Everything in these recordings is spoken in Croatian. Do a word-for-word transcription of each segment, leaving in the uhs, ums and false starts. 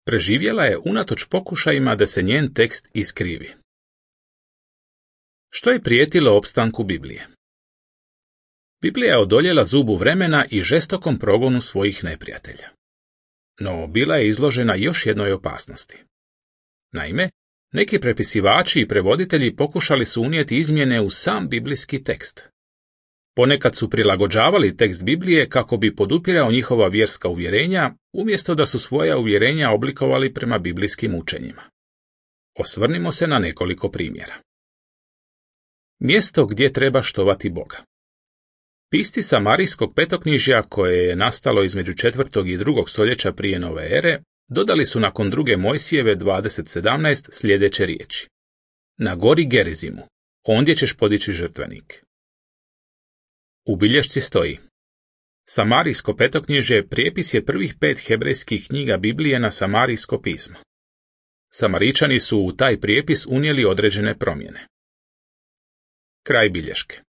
Preživjela je unatoč pokušajima da se njen tekst iskrivi. Što je prijetilo opstanku Biblije? Biblija je odoljela zubu vremena i žestokom progonu svojih neprijatelja. No bila je izložena još jednoj opasnosti. Naime, neki prepisivači i prevoditelji pokušali su unijeti izmjene u sam biblijski tekst. Ponekad su prilagođavali tekst Biblije kako bi podupirao njihova vjerska uvjerenja, umjesto da su svoja uvjerenja oblikovali prema biblijskim učenjima. Osvrnimo se na nekoliko primjera. Mjesto gdje treba štovati Boga. Pisci Samarijskog petoknjižja, koje je nastalo između četvrtog i drugog stoljeća prije nove ere, dodali su nakon druge Mojsijeve dvadeset sedamnaest sljedeće riječi. Na gori Gerizimu, ondje ćeš podići žrtvenik. U bilješci stoji. Samarijsko petoknjižje prijepis je prvih pet hebrejskih knjiga Biblije na samarijsko pismo. Samaričani su u taj prijepis unijeli određene promjene. Kraj bilješke.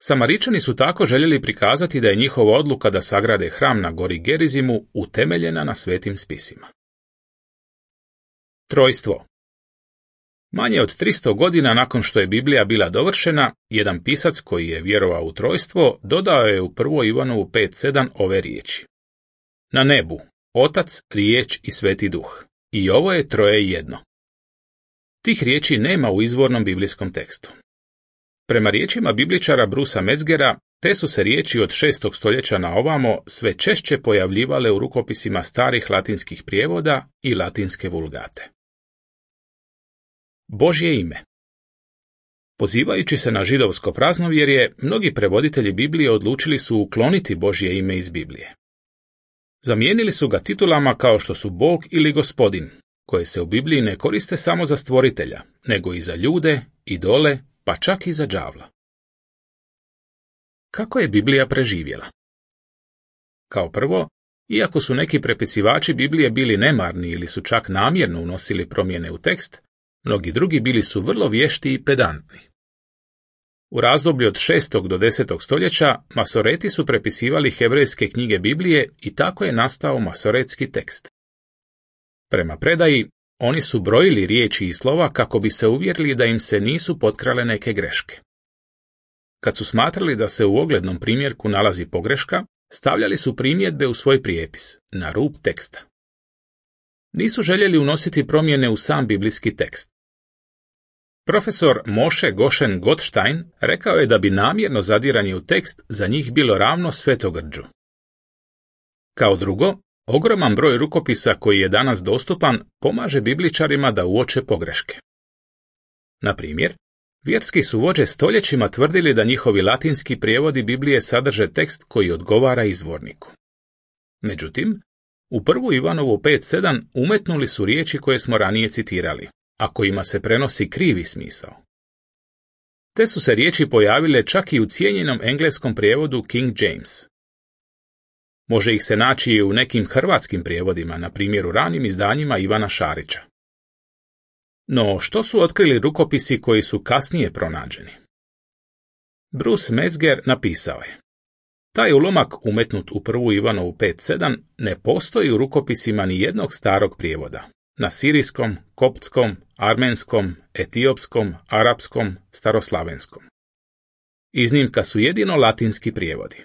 Samaričani su tako željeli prikazati da je njihova odluka da sagrade hram na gori Gerizimu utemeljena na svetim spisima. Trojstvo. Manje od tristo godina nakon što je Biblija bila dovršena, jedan pisac koji je vjerovao u trojstvo dodao je u prvoj Ivanovu pet sedam ove riječi. Na nebu, Otac, riječ i Sveti Duh. I ovo je troje jedno. Tih riječi nema u izvornom biblijskom tekstu. Prema riječima bibličara Brusa Metzgera, te su se riječi od šestog stoljeća na ovamo sve češće pojavljivale u rukopisima starih latinskih prijevoda i latinske vulgate. Božje ime. Pozivajući se na židovsko praznovjerje, mnogi prevoditelji Biblije odlučili su ukloniti Božje ime iz Biblije. Zamijenili su ga titulama kao što su Bog ili Gospodin, koje se u Bibliji ne koriste samo za stvoritelja, nego i za ljude, idole, pa čak i za đavla. Kako je Biblija preživjela? Kao prvo, iako su neki prepisivači Biblije bili nemarni ili su čak namjerno unosili promjene u tekst, mnogi drugi bili su vrlo vješti i pedantni. U razdoblju od šestog do desetog stoljeća Masoreti su prepisivali hebrejske knjige Biblije i tako je nastao masoretski tekst. Prema predaji, oni su brojili riječi i slova kako bi se uvjerili da im se nisu potkrale neke greške. Kad su smatrali da se u oglednom primjerku nalazi pogreška, stavljali su primjedbe u svoj prijepis, na rub teksta. Nisu željeli unositi promjene u sam biblijski tekst. Profesor Moshe Goshen Gottstein rekao je da bi namjerno zadiranje u tekst za njih bilo ravno svetogrđu. Kao drugo, ogroman broj rukopisa koji je danas dostupan pomaže bibličarima da uoče pogreške. Na primjer, vjerski su vođe stoljećima tvrdili da njihovi latinski prijevodi Biblije sadrže tekst koji odgovara izvorniku. Međutim, u prvu Ivanovu pet sedam umetnuli su riječi koje smo ranije citirali, a kojima se prenosi krivi smisao. Te su se riječi pojavile čak i u cijenjenom engleskom prijevodu King James. Može ih se naći i u nekim hrvatskim prijevodima, na primjer u ranim izdanjima Ivana Šarića. No, što su otkrili rukopisi koji su kasnije pronađeni? Bruce Metzger napisao je: taj ulomak umetnut u prvu Ivanovu pet sedam ne postoji u rukopisima ni jednog starog prijevoda, na sirijskom, koptskom, armenskom, etiopskom, arapskom, staroslavenskom. Iznimka su jedino latinski prijevodi.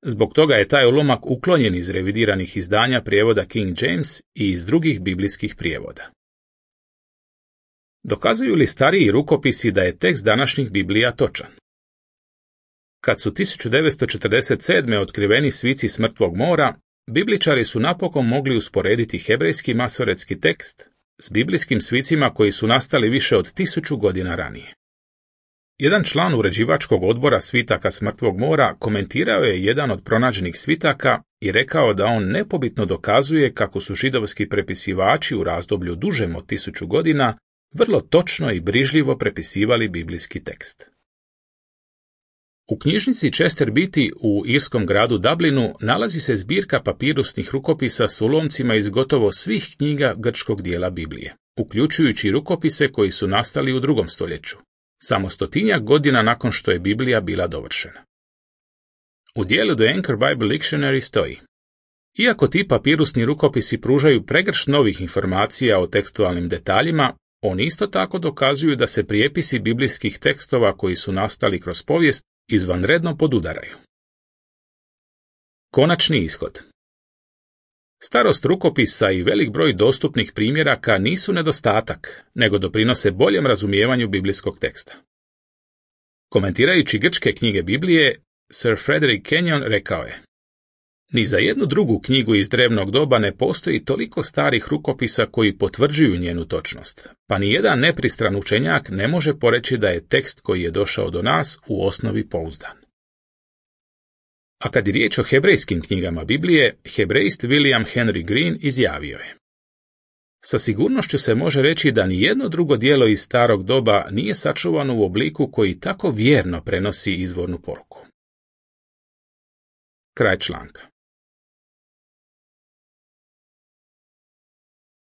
Zbog toga je taj ulomak uklonjen iz revidiranih izdanja prijevoda King James i iz drugih biblijskih prijevoda. Dokazuju li stariji rukopisi da je tekst današnjih Biblija točan? Kad su tisuću devetsto četrdeset sedme otkriveni svici s Mrtvog mora, bibličari su napokon mogli usporediti hebrejski masoretski tekst s biblijskim svicima koji su nastali više od tisuću godina ranije. Jedan član uređivačkog odbora svitaka s Mrtvog mora komentirao je jedan od pronađenih svitaka i rekao da on nepobitno dokazuje kako su židovski prepisivači u razdoblju dužem od tisuću godina vrlo točno i brižljivo prepisivali biblijski tekst. U knjižnici Chester Beatty u irskom gradu Dublinu nalazi se zbirka papirusnih rukopisa s ulomcima iz gotovo svih knjiga grčkog dijela Biblije, uključujući rukopise koji su nastali u drugom stoljeću, samo stotinjak godina nakon što je Biblija bila dovršena. U dijelu The Anchor Bible Dictionary stoji: Iako ti papirusni rukopisi pružaju pregršt novih informacija o tekstualnim detaljima, oni isto tako dokazuju da se prijepisi biblijskih tekstova koji su nastali kroz povijest izvanredno podudaraju. Konačni ishod. Starost rukopisa i velik broj dostupnih primjeraka nisu nedostatak, nego doprinose boljem razumijevanju biblijskog teksta. Komentirajući grčke knjige Biblije, Sir Frederick Kenyon rekao je: ni za jednu drugu knjigu iz drevnog doba ne postoji toliko starih rukopisa koji potvrđuju njenu točnost, pa ni jedan nepristran učenjak ne može poreći da je tekst koji je došao do nas u osnovi pouzdan. A kad je riječ o hebrejskim knjigama Biblije, hebrejist William Henry Green izjavio je: sa sigurnošću se može reći da ni jedno drugo djelo iz starog doba nije sačuvano u obliku koji tako vjerno prenosi izvornu poruku. Kraj članka.